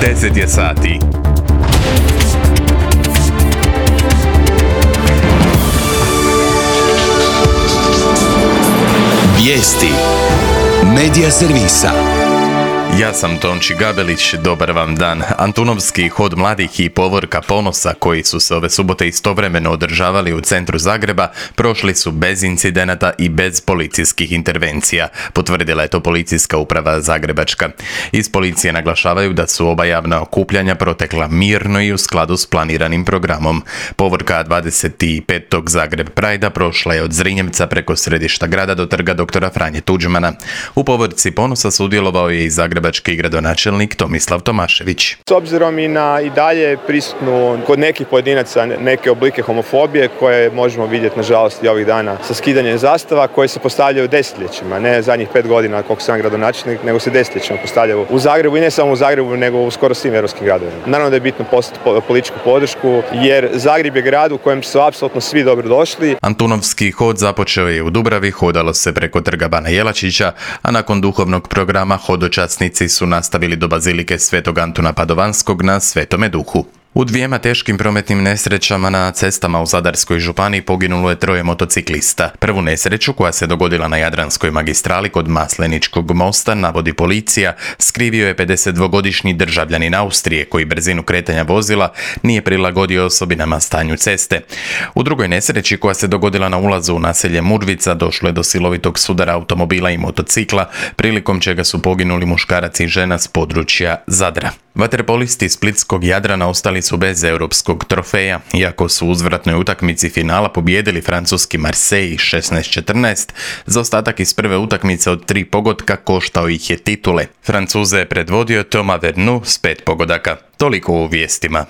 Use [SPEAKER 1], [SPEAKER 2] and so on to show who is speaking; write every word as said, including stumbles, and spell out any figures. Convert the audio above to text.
[SPEAKER 1] deset je sati.
[SPEAKER 2] Vijesti Medija servisa.
[SPEAKER 1] Ja sam Tonči Gabelić, dobar vam dan. Antunovski hod mladih i povorka ponosa koji su se ove subote istovremeno održavali u centru Zagreba prošli su bez incidenata i bez policijskih intervencija, potvrdila je to policijska uprava Zagrebačka. Iz policije naglašavaju da su oba javna okupljanja protekla mirno i u skladu s planiranim programom. Povorka dvadeset petog Zagreb Prajda prošla je od Zrinjevca preko središta grada do trga doktora Franje Tuđmana. U povorci ponosa sudjelovao je i Zagreb gradonačelnik Tomislav Tomašević.
[SPEAKER 3] S obzirom i na i dalje prisutnu kod nekih pojedinaca neke oblike homofobije koje možemo vidjeti nažalost i ovih dana sa skidanjem zastava koje se postavljaju desetljećima, ne zadnjih pet godina koliko sam gradonačelnik, nego se desetljećima postavljaju u Zagrebu i ne samo u Zagrebu nego u skoro svim europskim gradovima. Naravno da je bitno postati političku podršku jer Zagreb je grad u kojem su apsolutno svi dobro došli.
[SPEAKER 1] Antunovski hod započeo je u Dubravi, hodalo se preko trga Bana Jelačića, a nakon duhovnog programa hodočasnici su nastavili do bazilike Svetog Antuna Padovanskog na Svetome Duhu. U dvijema teškim prometnim nesrećama na cestama u Zadarskoj županiji poginulo je troje motociklista. Prvu nesreću, koja se dogodila na Jadranskoj magistrali kod Masleničkog mosta, navodi policija, skrivio je pedesetdvogodišnji državljanin Austrije koji brzinu kretanja vozila nije prilagodio osobinama stanju ceste. U drugoj nesreći, koja se dogodila na ulazu u naselje Murvica, došlo je do silovitog sudara automobila i motocikla, prilikom čega su poginuli muškarac i žena s područja Zadra. Vaterpolisti splitskog Jadrana ostali su bez europskog trofeja, iako su u uzvratnoj utakmici finala pobijedili francuski Marseille šesnaest četrnaest, zaostatak iz prve utakmice od tri pogotka koštao ih je titule. Francuze je predvodio Thomas Vernu s pet pogodaka. Toliko u vijestima.